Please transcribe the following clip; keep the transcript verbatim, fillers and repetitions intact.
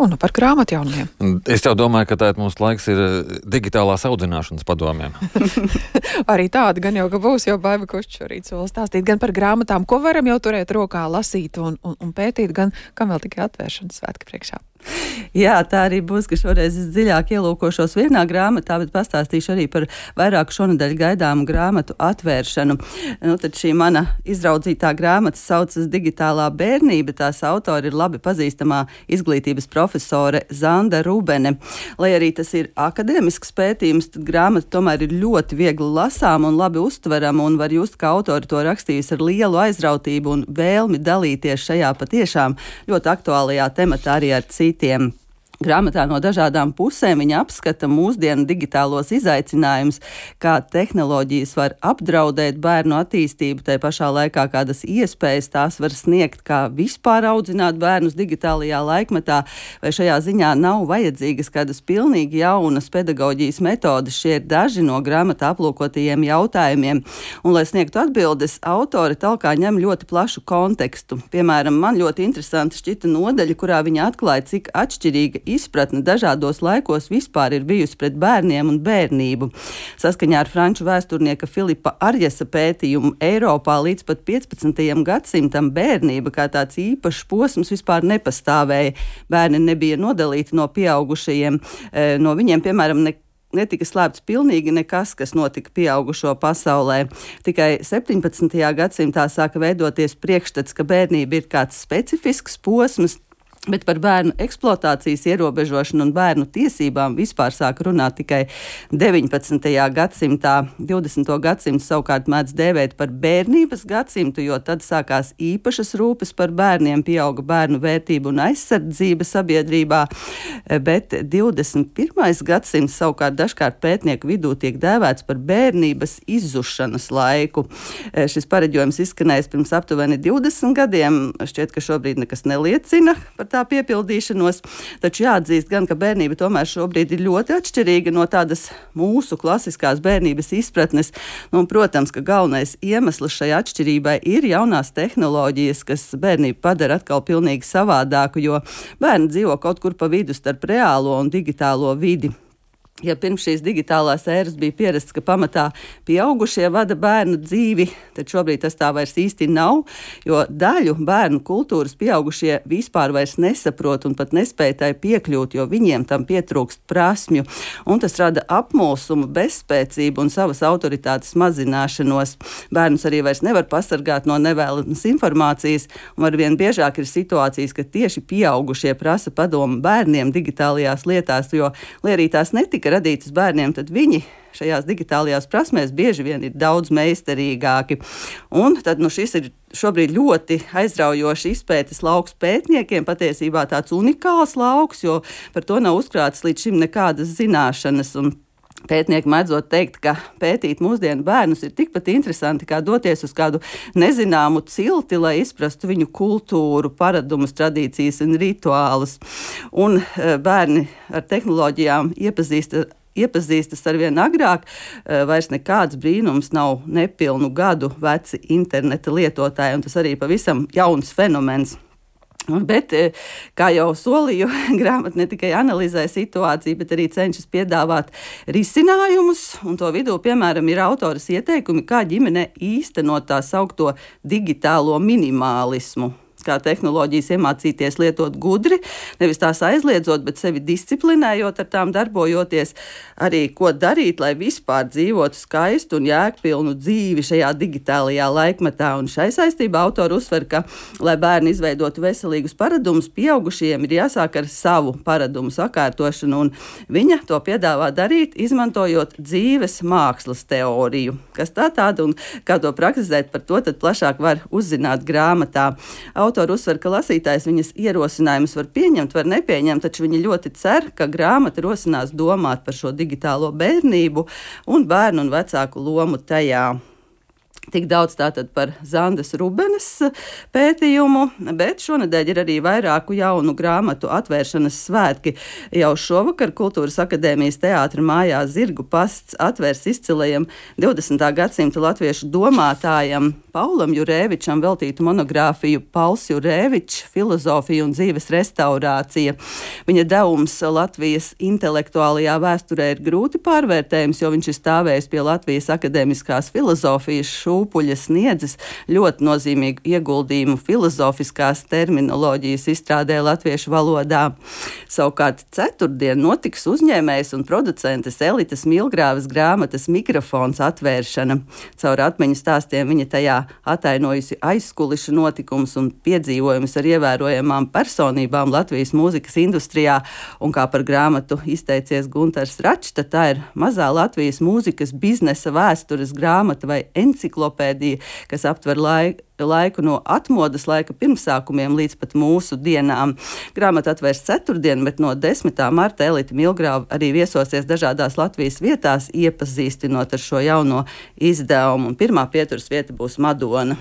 Un par grāmatu jaunumiem. Es jau domāju, ka tā mūsu laiks ir digitālās audzināšanas padomiem. Arī tāda gan jau, ka būs, jau Baiba Kušķa šorīt sola stāstīt gan par grāmatām, ko varam jau turēt rokā, lasīt un, un, un pētīt, gan kam vēl tikai atvēršanas svētki priekšā. Jā, tā arī būs, ka šoreiz es dziļāk ielūkošos vienā grāmatā, bet pastāstīšu arī par vairāku šonadēļ gaidāmu grāmatu atvēršanu. Nu, tad šī mana izraudzītā grāmata saucas Digitālā bērnība. Tās autori ir labi pazīstamā izglītības profesore Zanda Rubene. Lai arī tas ir akadēmisks pētījums, tad grāmata tomēr ir ļoti viegli lasām un labi uztverama, un var just, ka autori to rakstījusi ar lielu aizrautību un vēlmi dalīties šajā patiešām ļoti aktuālajā tematā arī ar citiem. Grāmatā no dažādām pusēm viņa apskata mūsdienu digitālos izaicinājumus, kā tehnoloģijas var apdraudēt bērnu attīstību, tai pašā laikā kādas iespējas tās var sniegt, kā vispār audzināt bērnus digitālajā laikmetā, vai šajā ziņā nav vajadzīgas kādas pilnīgi jaunas pedagoģijas metodes. Šie ir daži no grāmatā aplūkotajiem jautājumiem. Un, lai sniegtu atbildes, autori talkā ņem ļoti plašu kontekstu. Piemēram, man ļoti interesanti šķita nodaļa, kurā viņa atklāja, cik atšķirīga izpratne dažādos laikos vispār ir bijusi pret bērniem un bērnību. Saskaņā ar franču vēsturnieka Filipa Arjesa pētījumu Eiropā līdz pat piecpadsmitajam gadsimtam bērnība kā tāds īpašs posms vispār nepastāvēja. Bērni nebija nodalīti no pieaugušajiem. No viņiem, piemēram, ne netika slēpts pilnīgi nekas, kas notika pieaugušo pasaulē. Tikai septiņpadsmitajā gadsimtā sāka veidoties priekšstats, ka bērnība ir kāds specifisks posms, bet par bērnu eksploatācijas ierobežošanu un bērnu tiesībām vispār sāk runāt tikai deviņpadsmitajā gadsimtā. divdesmito gadsimtu savukārt mēdz dēvēt par bērnības gadsimtu, jo tad sākās īpašas rūpes par bērniem, pieauga bērnu vērtību un aizsardzība sabiedrībā, bet divdesmit pirmais gadsimts savukārt dažkārt pētnieku vidū tiek dēvēts par bērnības izzušanas laiku. Šis pareģojums izskanējis pirms aptuveni divdesmit gadiem, šķiet, ka šobrīd nekas neliecina par tā piepildīšanos, taču jāatzīst gan, ka bērnība tomēr šobrīd ir ļoti atšķirīga no tādas mūsu klasiskās bērnības izpratnes. Nu, un, protams, ka galvenais iemesls šai atšķirībai ir jaunās tehnoloģijas, kas bērnību padara atkal pilnīgi savādāku, jo bērni dzīvo kaut kur pa vidu starp reālo un digitālo vidi. Ja pirms šīs digitālās ēras bija pierasts, ka pamatā pieaugušie vada bērnu dzīvi, tad šobrīd tas tā vairs īsti nav, jo daļu bērnu kultūras pieaugušie vispār vairs nesaprot un pat nespēj tai piekļūt, jo viņiem tam pietrūkst prasmju. Un tas rada apmulsumu, bezspēcību un savas autoritātes mazināšanos. Bērnus arī vairs nevar pasargāt no nevēlamas informācijas, un arvien biežāk ir situācijas, ka tieši pieaugušie prasa padomu bērniem digitālajās lietās, jo, lai arī tās netika radītas bērniem, tad viņi šajās digitālajās prasmēs bieži vien ir daudz meistarīgāki. Un tad nu, šis ir šobrīd ļoti aizraujoši izpētes lauks pētniekiem, patiesībā tāds unikāls lauks, jo par to nav uzkrātas līdz šim nekādas zināšanas. Un pētnieki mēdzot teikt, ka pētīt mūsdienu bērnus ir tikpat interesanti, kā doties uz kādu nezināmu cilti, lai izprastu viņu kultūru, paradumus, tradīcijas un rituālus. Un bērni ar tehnoloģijām iepazīst iepazīstas arvien agrāk, vairs nekāds brīnums nav nepilnu gadu veci interneta lietotāji, un tas arī pavisam jauns fenomens. Bet, kā jau solīju, grāmata ne tikai analizē situāciju, bet arī cenšas piedāvāt risinājumus, un to vidū, piemēram, ir autoras ieteikumi, kā ģimene īstenot tā saukto digitālo minimālismu. Kā tehnoloģijas iemācīties lietot gudri, nevis tās aizliedzot, bet sevi disciplinējot, ar tām darbojoties, arī ko darīt, lai vispār dzīvotu skaistu un jēgpilnu dzīvi šajā digitālajā laikmetā. Un šai saistībā autori uzsver, ka, lai bērni izveidotu veselīgus paradumus, pieaugušajiem ir jāsāk ar savu paradumu sakārtošanu, un viņa to piedāvā darīt, izmantojot dzīves mākslas teoriju. Kas tā tāda un kā to praktizēt, par to tad plašāk var uzzināt grāmatā. Autori uzsver, ka lasītājs viņas ierosinājumus var pieņemt, var nepieņemt, taču viņi ļoti cer, ka grāmata rosinās domāt par šo digitālo bērnību un bērnu un vecāku lomu tajā. Tik daudz tātad par Zandas Rubenes pētījumu, bet šonedēļ ir arī vairāku jaunu grāmatu atvēršanas svētki. Jau šovakar Kultūras akadēmijas teātra mājā Zirgu pasts atvērs izcilajam divdesmitā gadsimta latviešu domātājam Paulam Jurēvičam veltītu monogrāfiju Pauls Jurēvičs – filozofija un dzīves restaurācija. Viņa devums Latvijas intelektuālajā vēsturē ir grūti pārvērtējums, jo viņš ir stāvējis pie Latvijas akadēmiskās filozofijas šū Upuļa sniedzis ļoti nozīmīgu ieguldījumu filozofiskās terminoloģijas izstrādē latviešu valodā. Savukārt ceturtdien notiks uzņēmējas un producentes Elites Milgrāves grāmatas Mikrofons atvēršana. Caur atmiņu stāstiem viņa tajā atainojusi aizkulišu notikumus un piedzīvojumus ar ievērojamām personībām Latvijas mūzikas industrijā, un kā par grāmatu izteicies Guntars Račs, tad tā ir mazā Latvijas mūzikas biznesa vēstures grāmata vai enciklopēdija, kas aptver laiku, laiku no atmodas laika pirmsākumiem līdz pat mūsu dienām. Grāmata atvērs ceturtdien, bet no desmitā marta Elite Milgrāve arī viesosies dažādās Latvijas vietās, iepazīstinot ar šo jauno izdevumu. Pirmā pieturas vieta būs Madona.